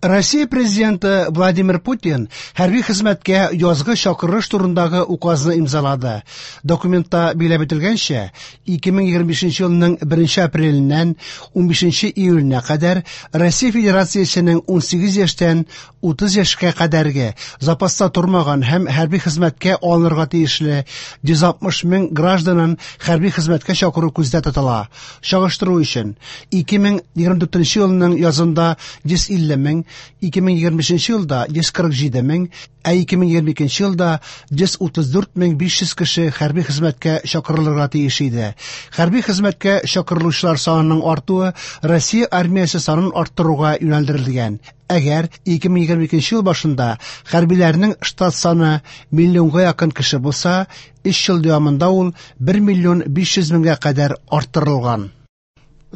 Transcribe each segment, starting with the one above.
Россия президенты Владимир Путин хәрби хезмәткә язгы чакырыш турындагы указны имзалады. Документта билгеләп үтелгәнчә, 2025 елның 1 апреленнән 15 июленә кадәр Россия Федерациясенең 18 яшьтән 30 яшькә кадәрге запаста тормаган һәм хәрби хезмәткә алынырга тиешле 160 мең гражданын хәрби хезмәткә чакыру күздә тотыла. Чагыштыру өчен, 2024 елның язында 150 мең, 2025 елда 147 мең, ә 2022 елда 134 мең 500 кеше хәрби хезмәткә чакырылырга тиеш иде. Хәрби хезмәткә чакырылучылар санының артуы Россия армиясе санын арттыруга юнәлдерелгән. Әгәр 2022 ел башында хәрбиләрнең штат саны миллионга якын кеше булса, 3 ел дәвамында ул 1 миллион 500 меңгә кадәр арттырылган.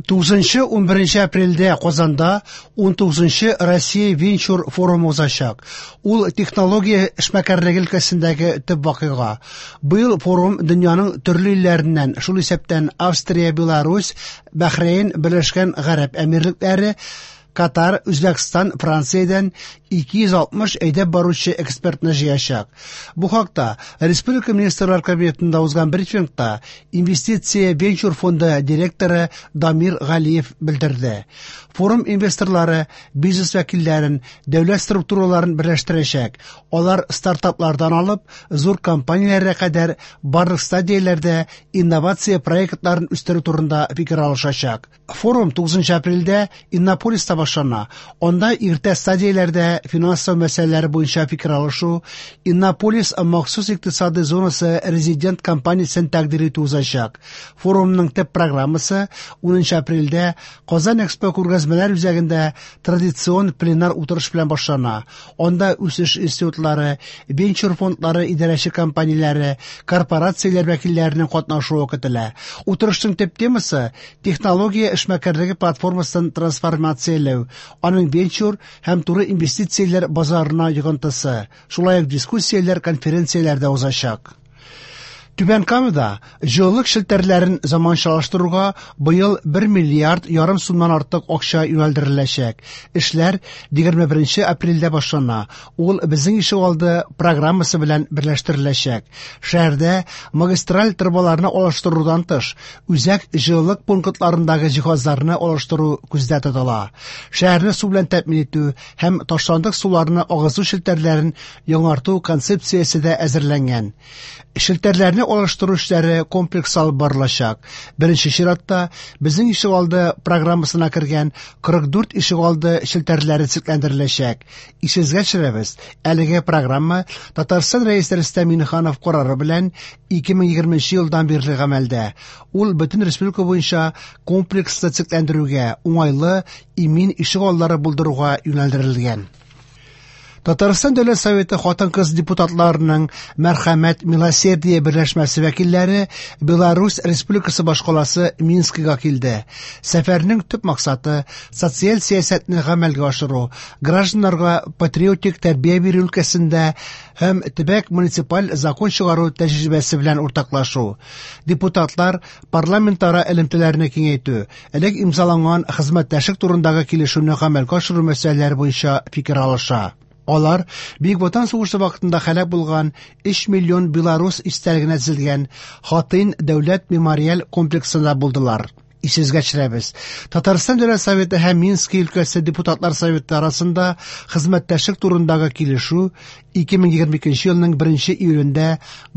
9-11 апрельдә Казанда 19 Россия венчур форумы узачак. Ул технология эшмәкәрлеге өлкәсендәге төп вакыйга. Быел форум дөньяның төрле илләреннән, шул исәптән Австрия, Беларусь, Бәхрәйн, Берләшкән Гарәп Әмирлекләре, Катар, Үзбәкстан, Франциядән 260 әйдәп баручы экспертны җыячак. Бу хакта Республика Министрлар Кабинетында узган брифингта Инвестиция венчур фонды директоры Дамир Галиев белдерде. Форум инвесторлары, бизнес вәкилләрен, дәүләт структураларын берләштерәчәк. Алар стартаплардан алып, зур компанияләргә кадәр барлык стадияләрдә инновация проектларын үстерү турында фикер алышачак. Форум 9 апрельдә Иннополиста башлана. Анда иртә стадияләрдә финанслау мәсьәләләре буенча фикер алышу, Иннополис махсус икътисадый зонасы резидент компаниясен тәкъдир итү узачак. Форумның төп программасы 10 апрельдә Казан Экспо күргәзмәләр үзәгендә традицион пленар утырыш белән башлана. Анда үсеш институтлары, венчур фондлары идарәче компанияләре, корпорацияләр вәкилләренең катнашуы көтелә. Утырышның төп темасы технология эшмәкәрлеге платформасын трансформацияләү, аның венчур һәм туры инвестицияләр базарына йогынтысы. Шулай ук дискуссияләр, конференцияләр дә узачак. Түбән Камада җылылык челтәрләрен заманчалаштыруга быел 1 миллиард ярым сумнан артык акча юнәлдереләчәк. Эшләр 21 апрельдә башлана. Ул Безнең ишегалды программасы белән берләштереләчәк. Шәһәрдә магистраль торбаларны алыштырудан тыш, үзәк җылылык пунктларындагы җиһазларны алыштыру күздә тотыла. Шәһәрне су белән тәэмин итү һәм ташландык суларны агызу челтәрләрен яңарту концепциясе дә әзерләнгән. Челтәрләрне алыштыру эшләре комплекс алып барылачак. Беренче чиратта Безнең ишегалды программасына кергән 44 ишегалды челтәрләре төзекләндереләчәк. Исегезгә төшерәбез, әлеге программа Татарстан Рәисе Рөстәм Миңнеханов карары белән 2020 елдан бирле гамәлдә. Ул бөтен республика буенча комплекслы төзекләндерүгә, уңайлы, имин ишегаллары булдыруга юнәлдерелгән. Татарстан Дәүләт Советы хатын-кыз депутатларының Мәрхәмәт Милосердие берләшмәсе вәкилләре Беларусь Республикасы башкаласы Минскига килде. Сәфәрнең төп максаты социаль сәясәтне гамәлгә ашыру, гражданнарга патриотик тәрбия бирү өлкәсендә һәм төбәк муниципаль закон чыгару тәҗрибәсе белән уртаклашу. Депутатлар парламентара элемтәләрне киңәйтү, элек имзаланган хезмәттәшлек турындагы килешүне гамәлгә ашыру мәсьәләләре буенча фикер алыша. Алар Бөек Ватан сугышы вакытында һәлак булган 3 миллион белорус истәлегенә төзелгән Хатынь дәүләт мемориаль комплексында булдылар. Исегезгә төшерәбез. Татарстан Дәүләт Советы һәм Минский өлкәсе депутатлар советы арасында хезмәттәшлек турындагы килешү 2022 елның 1 июлендә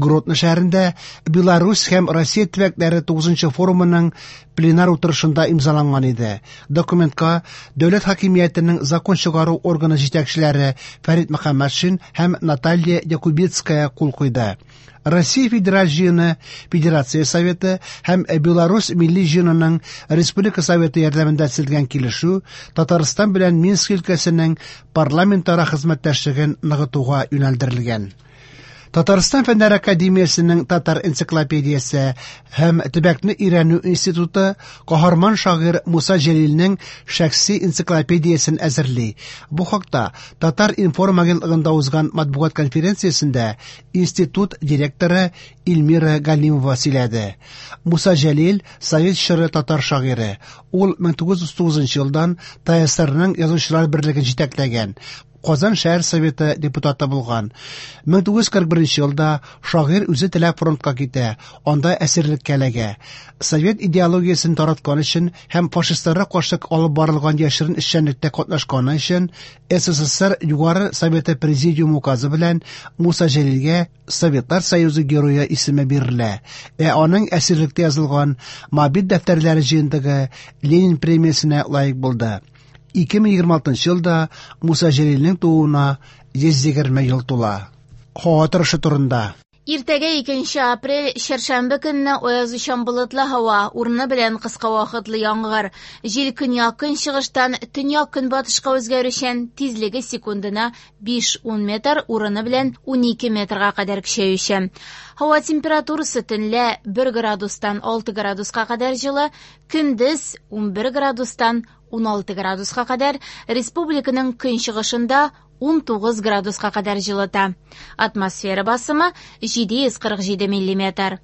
Гродно шәһәрендә Беларусь һәм Россия төбәкләре 9 форумының пленар утырышында имзаланган иде. Документка дәүләт хакимиятенең закон чыгару органы җитәкчеләре Фәрит Мөхәммәтшин һәм Наталья Якубецкая кул куйды. Россия Федераль җыены, Федерация Советы һәм Беларусь Милли җыенының Республика Советы ярдәмендә төзелгән килешү Татарстан белән Минск өлкәсенең парламентара хезмәттәшлеген ныгытуга юнәлдерелгән. Татарстан Фәннәр академиясенең Татар энциклопедиясе һәм төбәкне өйрәнү институты каһарман шагыйрь Муса Җәлилнең шәхси энциклопедиясен әзерли. Бу хакта Татар-информ агентлыгында узган матбугат конференциясендә институт директоры Эльмира Галимова сөйләде. Муса Җәлил совет чоры татар шагыйре. Ул 1939 елдан ТАССРның Язучылар берлеген җитәкләгән. Казан шәһәр советы депутаты булган. 1941 елда шагыйрь үзе теләп фронтка китә, анда әсирлеккә эләгә. Совет идеологиясен тараткан өчен һәм фашистларга каршы алып барылган яшерен эшчәнлектә катнашканы өчен СССР Югары Советы Президиумы указы белән Муса Җәлилгә Советлар Союзы Герое исеме бирелә. Ә аның әсирлектә язылган Моабит дәфтәрләре җыентыгы Ленин премиясенә лаек булды. 2026 елда Муса Җәлилнең тууына 120 ел тула. Һава торышы турында. Иртәгә 2 апрель, чәршәмбе көнне аязучан болытлы һава, урыны белән кыска вакытлы яңгыр. Җил көньяк-көнчыгыштан төньяк-көнбатышка үзгәрүчән, тизлеге секундына 5-10 метр, урыны белән 12 метрга кадәр көчәючән. Һава температурасы төнлә 1 градустан 6 градуска кадәр җылы, көндез 11 градустан 16 градуска кадәр, республиканың көнчыгышында 19 градуска кадәр җылыта. Атмосфера басымы 747 миллиметр.